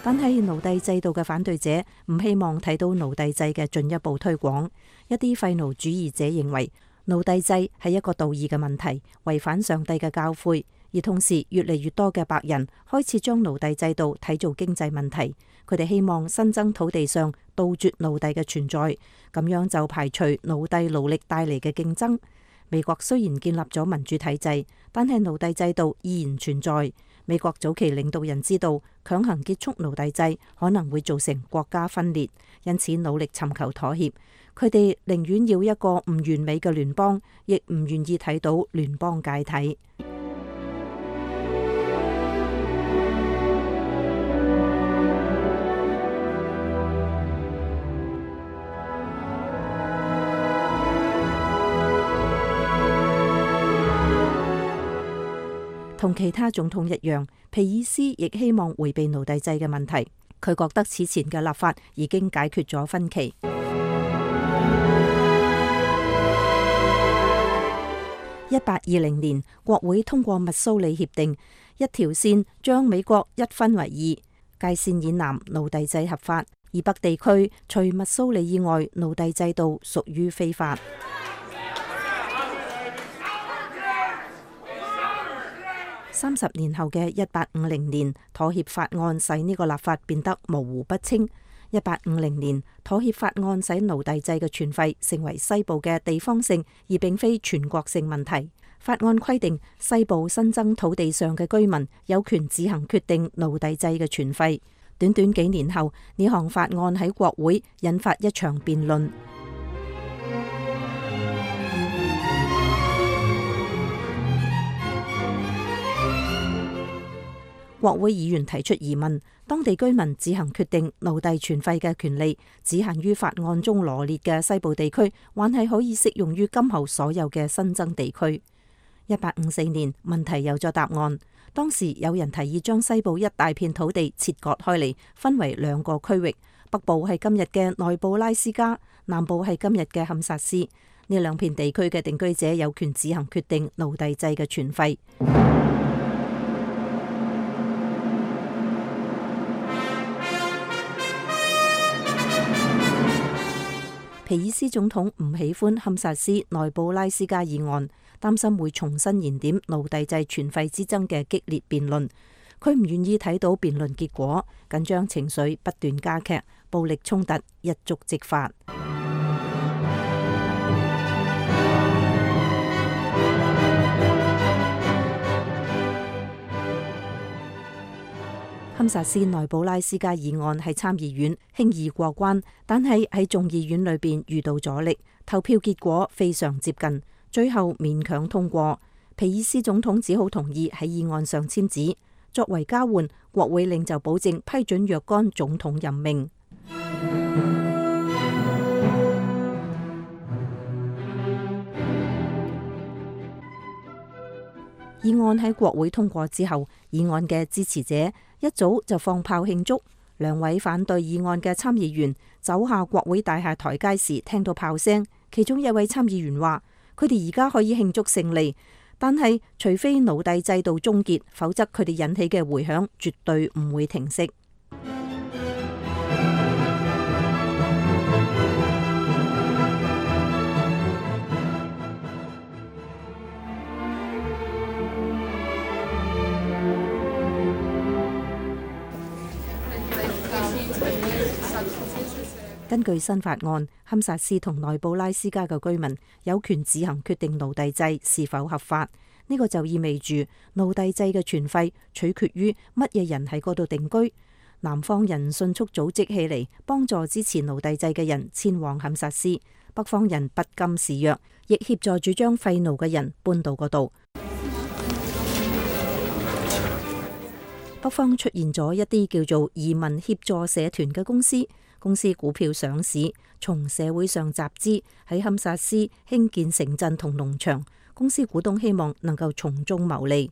但係奴隸制度嘅反對者唔希望睇到奴隸制嘅進一步推廣。一啲廢奴主義者認為奴隸制係一個道義嘅問題，違反上帝嘅教誨。而同時，越嚟越多嘅白人開始將奴隸制度睇做經濟問題。佢哋希望新增土地上杜絕奴隸嘅存在，咁樣就排除奴隸勞力帶嚟嘅競爭。美國雖然建立咗民主體制，但係奴隸制度依然存在。美國早期領導人知道強行結束奴隸制可能會造成國家分裂，因此努力尋求妥協。佢哋寧願要一個唔完美嘅聯邦，亦唔願意睇到聯邦解體。同其他總統一樣，皮爾斯亦希望迴避奴隸制嘅問題。佢覺得此前嘅立法已經解決咗分歧。1820年，國會通過密蘇里協定，一條線將美國一分為二，界線以南奴隸制合法，而北地區除密蘇里以外，奴隸制度屬於非法。30年後嘅1850年，妥協法案使呢個立法變得模糊不清。1850年，妥協法案使奴隸制嘅存廢成為西部嘅地方性，而並非全國性問題。法案規定，西部新增土地上嘅居民有權自行決定奴隸制嘅存廢。短短幾年後，呢項法案喺國會引發一場辯論。國會議員提出疑問：當地居民自行決定奴隸存廢嘅權利，只限於法案中羅列嘅西部地區，還係可以適用於今後所有嘅新增地區？1854年，問題有咗答案。當時有人提議將西部一大片土地切割開嚟，分為兩個區域，北部係今日嘅內布拉斯加，南部係今日嘅堪薩斯。呢兩片地區嘅定居者有權自行決定奴隸制嘅存廢。皮爾斯總統唔喜歡堪薩斯內布拉斯加議案，擔心會重新燃點奴隸制存廢之爭嘅激烈辯論。佢唔願意睇到辯論結果，緊張情緒不斷加劇，暴力衝突一觸即發。堪薩斯內布拉斯加議案喺參議院輕易過關，但係喺眾議院裏邊遇到阻力，投票結果非常接近，最後勉強通過。皮爾斯總統只好同意喺議案上簽字，作為交換，國會領袖保證批准若干總統任命。議案喺國會通過之後，議案嘅支持者一早就放炮慶祝。兩位反對議案嘅參議員走下國會大廈台階時，聽到炮聲，其中一位參議員話：佢哋而家可以慶祝勝利，但係除非奴隸制度終結，否則佢哋引起嘅迴響絕對唔會停息。根據新法案，堪薩斯同內布拉斯加嘅居民有權自行決定奴隸制是否合法。呢個就意味住奴隸制嘅存廢取決於乜嘢人喺嗰度定居。南方人迅速組織起嚟，幫助支持奴隸制嘅人遷往堪薩斯；北方人不甘示弱，亦協助主張廢奴嘅人搬到嗰度。北方出現咗一啲叫做移民協助社團嘅公司。公司股票上市，從社會上集資，喺堪薩斯興建城鎮同農場。公司股東希望能夠從中牟利。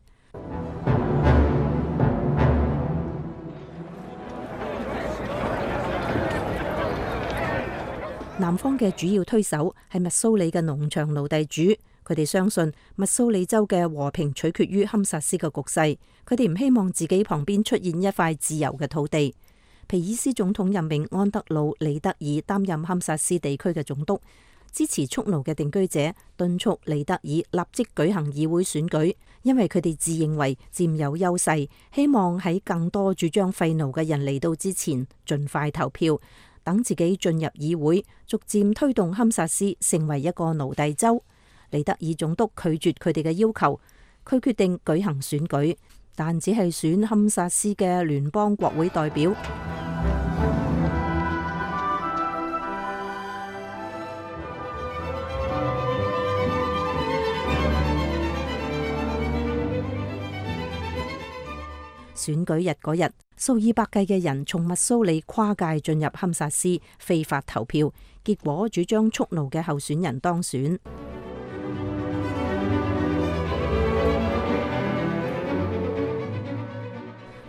南方嘅主要推手係密蘇里嘅農場奴隸主，佢哋相信密蘇里州嘅和平取決於堪薩斯嘅局勢。佢哋唔希望自己旁邊出現一塊自由嘅土地。皮爾斯總統任命安德魯·李德爾擔任堪薩斯地區嘅總督，支持蓄奴嘅定居者敦促李德爾立即舉行議會選舉，因為佢哋自認為佔有優勢，希望喺更多主張廢奴嘅人嚟到之前盡快投票，等自己進入議會，逐漸推動堪薩斯成為一個奴隸州。李德爾總督拒絕佢哋嘅要求，佢決定舉行選舉，但只係選堪薩斯嘅聯邦國會代表。選舉日嗰日，數以百計嘅人從密蘇里跨界進入堪薩斯非法投票，結果主張蓄奴嘅候選人當選。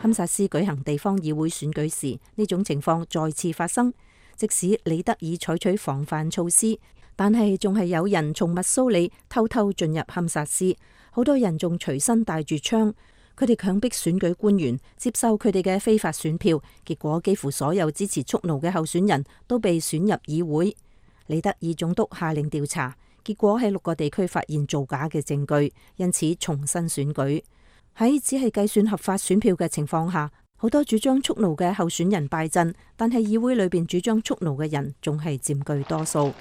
堪薩斯舉行地方議會選舉時，呢種情況再次發生。即使李德爾採取防範措施，但係仲係有人從密蘇里偷偷進入堪薩斯，好多人仲隨身帶住槍。佢哋強迫選舉官員接受佢哋嘅非法選票，結果幾乎所有支持蓄奴嘅候選人都被選入議會。李德爾總督下令調查，結果喺6個地區發現造假嘅證據，因此重新選舉。喺只係計算合法選票嘅情況下，好多主張蓄奴嘅候選人敗陣，但係議會裏邊主張蓄奴嘅人仲係佔據多數。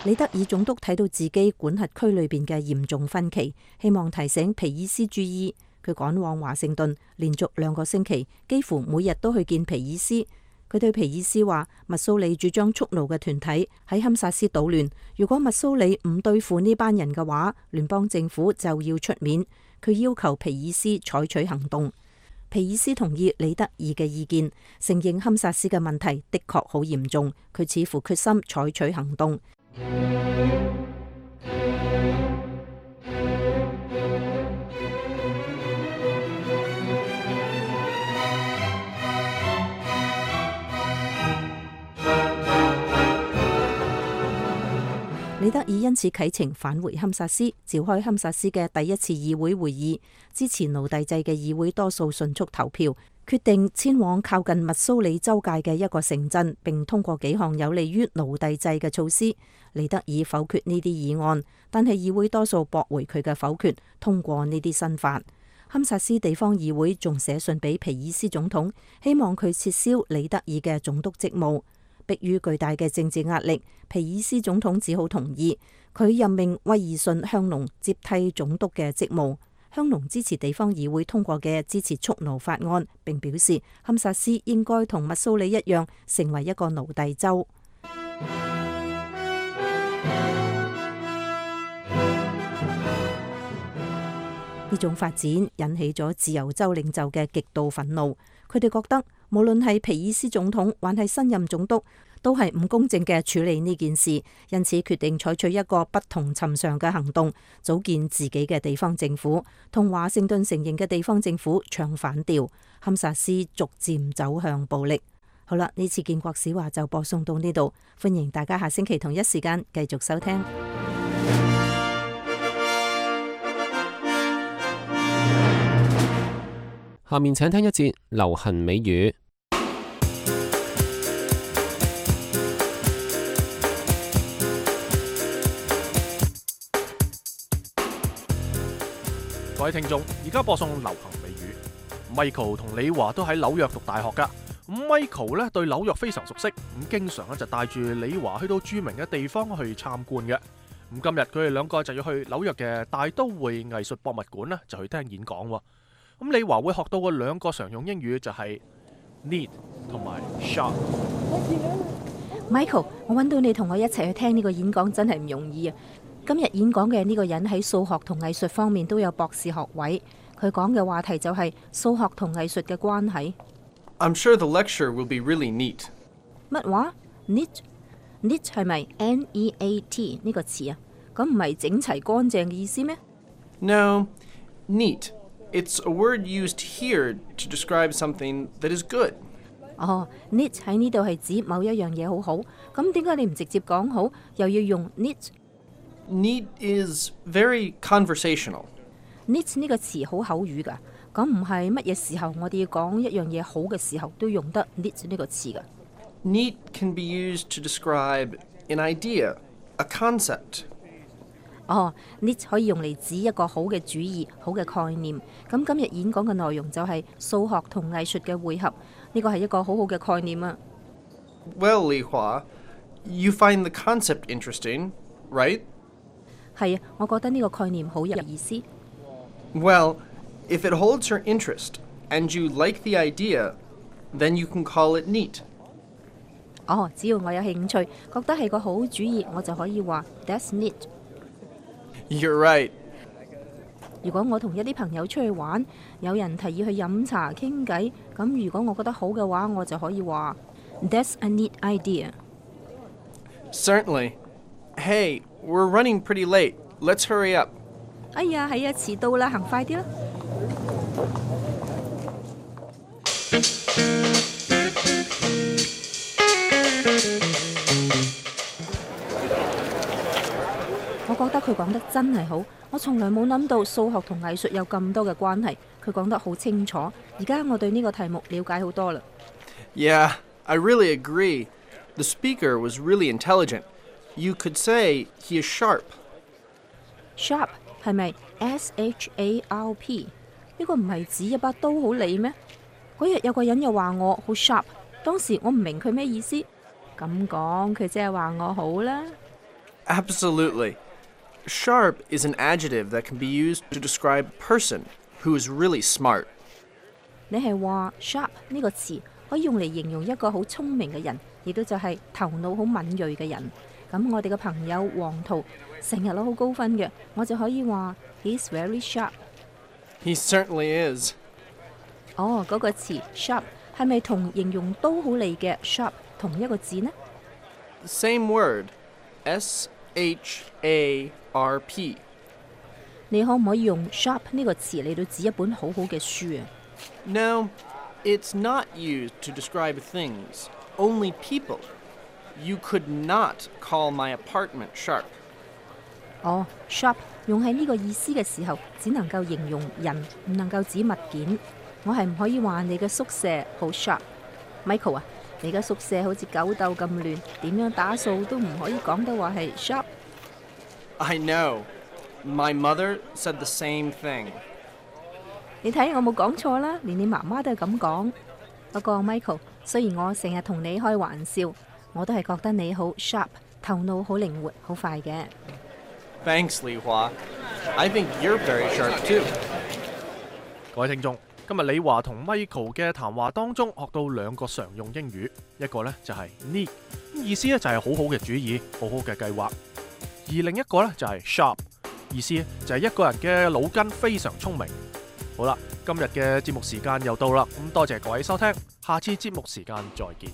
李德爾總督睇到自己管轄區裏邊嘅嚴重分歧，希望提醒皮爾斯注意。佢趕往華盛頓，連續2個星期，幾乎每日都去見皮爾斯。佢對皮爾斯話：密蘇里主張蓄奴嘅團體喺堪薩斯搗亂，如果密蘇里唔對付呢班人嘅話，聯邦政府就要出面。佢要求皮爾斯採取行動。皮爾斯同意李德爾嘅意見，承認堪薩斯嘅問題的確好嚴重。佢似乎決心採取行動。李德爾因此啟程返回堪薩斯，召開堪薩斯嘅第1次議會會議，支持奴隸制嘅議會多數迅速投票，決定遷往靠近密蘇里州界嘅一個城鎮，並通過幾項有利於奴隸制嘅措施。李德爾否決呢啲議案，但係議會多數駁回佢嘅否決，通過呢啲新法。堪薩斯地方議會仲寫信俾皮爾斯總統，希望佢撤銷李德爾嘅總督職務。迫於巨大嘅政治壓力，皮爾斯總統只好同意。佢任命威爾遜香農接替總督嘅職務。香農支持地方議會通過嘅支持蓄奴法案，並表示堪薩斯應該同密蘇里一樣成為一個奴隸州。呢種發展引起咗自由州領袖嘅極度憤怒，佢哋覺得無論係皮爾斯總統還係新任總督，都係唔公正嘅處理呢件事，因此決定採取一個不同尋常嘅行動，組建自己嘅地方政府，同華盛頓承認嘅地方政府唱反調，堪薩斯逐漸走向暴力。好啦，呢次建國史話就播送到呢度，歡迎大家下星期同一時間繼續收聽。下面請聽一節流行美語。各位聽眾，而家播送流行美語。Michael 同李華都喺紐約讀大學噶。咁 Michael 咧對紐約非常熟悉，咁經常咧就帶住李華去到著名嘅地方去參觀嘅。咁今日佢哋2個就要去紐約嘅大都會藝術博物館咧，就去聽演講。咁李華會學到嘅2個常用英語就係 neat 同埋 sharp。Michael， 我揾到你同我一齊去聽呢個演講真係唔容易啊！今日演講嘅呢個人喺數學同藝術方面都有博士學位，佢講嘅話題就係數學同藝術嘅關係。I'm sure the lecture will be really neat。乜話 ？neat 係咪 N-E-A-T 呢個詞啊？咁唔係整齊乾淨嘅意思咩 ？No, neat.It's a word used here to describe something that is good. 哦 ，neat 喺呢度係指某一樣嘢好好，咁點解你唔直接講好，又要用 neat？Neat is very conversational. neat 呢個詞好口語㗎，咁唔係乜嘢時候我哋要講一樣嘢好嘅時候都用得 neat 呢個詞㗎。Neat can be used to describe an idea, a concept.哦 neat 可以用嚟指一個好嘅主意、好嘅概念。咁今日演講嘅內容就係數學同藝術嘅匯合，呢個係一個好好嘅概念啊。Well, Li Hua, you find the concept interesting, right? 係啊，我覺得呢個概念好有意思。Well, if it holds your interest and you like the idea, then you can call it neat. 哦，只要我有興趣，覺得係個好主意，我就可以話 That's neat。You're right. 如果我同一啲朋友出去玩，有人提議去飲茶傾偈，咁如果我覺得好嘅話，我就可以話 That's a neat idea. Certainly. Hey, we're running pretty late. Let's hurry up. 哎呀，係啊，遲到啦，行快啲啦！我覺得佢講得真係好，我從來冇諗到數學同藝術有咁多嘅關係。佢講得好清楚，而家我對呢個題目了解好多啦。Yeah, I really agree. The speaker was really intelligent. You could say he is sharp. Sharp 係咪 SHARP？ 呢個唔係指一把刀好利咩？嗰日有個人又話我好 sharp， 當時我唔明佢咩意思。咁講佢即係話我好啦。Absolutely. Sharp is an adjective that can be used to describe a person who is really smart. 你係話 sharp 呢個詞可以用嚟形容一個好聰明嘅人，亦都就係頭腦好敏鋭嘅人。咁我哋嘅朋友黃圖成日攞好高分嘅，我就可以話 He's very sharp. He certainly is. 哦，嗰個詞 sharp 係咪同形容刀好利嘅 sharp 同一個字呢？ Same word. SHARP. 你可唔可以用 sharp 呢個詞嚟到指一本好好嘅書啊？ No, it's not used to describe things, only people. You could not call my apartment sharp. 哦 ，sharp 用喺呢個意思嘅時候，只能夠形容人，唔能夠指物件。我係唔可以話你嘅宿舍好 sharp。Michael 啊，你嘅宿舍好似狗竇咁亂，點樣打掃都唔可以講得話係 sharp。I know. My mother said the same thing. 你睇我冇講錯啦，連你媽媽都係咁講。不過 Michael， 雖然我成日同你開玩笑，我都係覺得你好 sharp， 頭腦好靈活，好快嘅。Thanks, Li Hua. I think you're very sharp too. 各位聽眾，今日李華同 Michael 嘅談話當中學到兩個常用英語，一個呢就係 neat， 意思呢就係好好嘅主意，好好嘅計劃；而另一個呢就係 sharp， 意思就係一個人嘅腦筋非常聰明。好啦，今日嘅節目時間又到啦，咁多謝各位收聽，下次節目時間再見。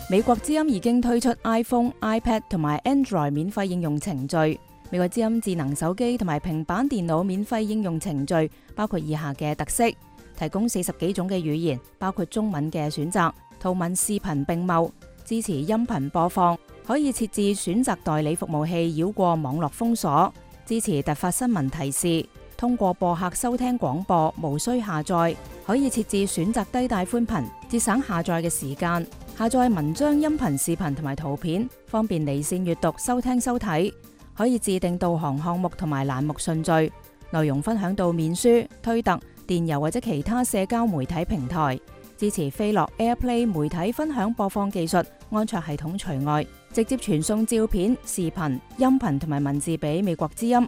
美國之音已經推出 iPhone、iPad 同埋 Android 免費應用程序。美國之音智能手機同埋平板電腦免費應用程序包括以下嘅特色：提供40幾種嘅語言，包括中文嘅選擇，圖文視頻並茂，支持音頻播放，可以設置選擇代理服務器繞過網絡封鎖，支持突發新聞提示，通過播客收聽廣播，無需下載，可以設置選擇低帶寬頻，節省下載嘅時間。下載文章、音頻、視頻同埋圖片，方便離線閱讀、收聽收睇。可以自定導航項目同埋欄目順序，內容分享到面書、推特、電郵或者其他社交媒體平台。支持飛樂 AirPlay 媒體分享播放技術，安卓系統除外。直接傳送照片、視頻、音頻同埋文字俾美國之音。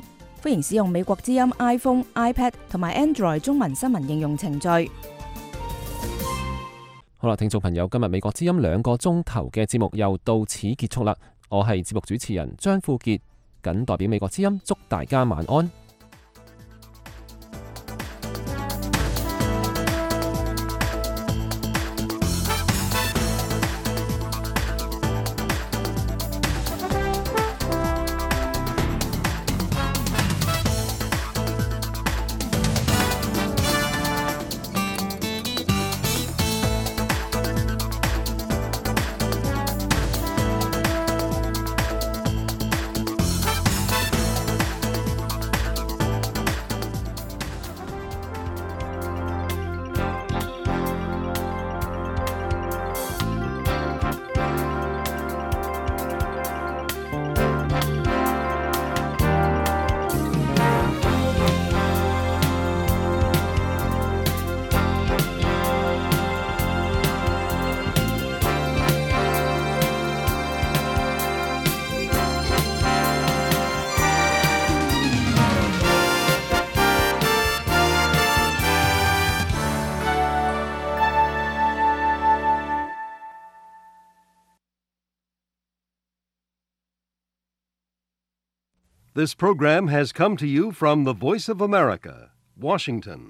歡迎使用美國之音 iPhone、iPad 同埋 Android 中文新聞應用程序。好啦，聽眾朋友，今日美國之音2個鐘頭嘅節目又到此結束啦。我係節目主持人張富傑，謹代表美國之音祝大家晚安。This program has come to you from the Voice of America, Washington.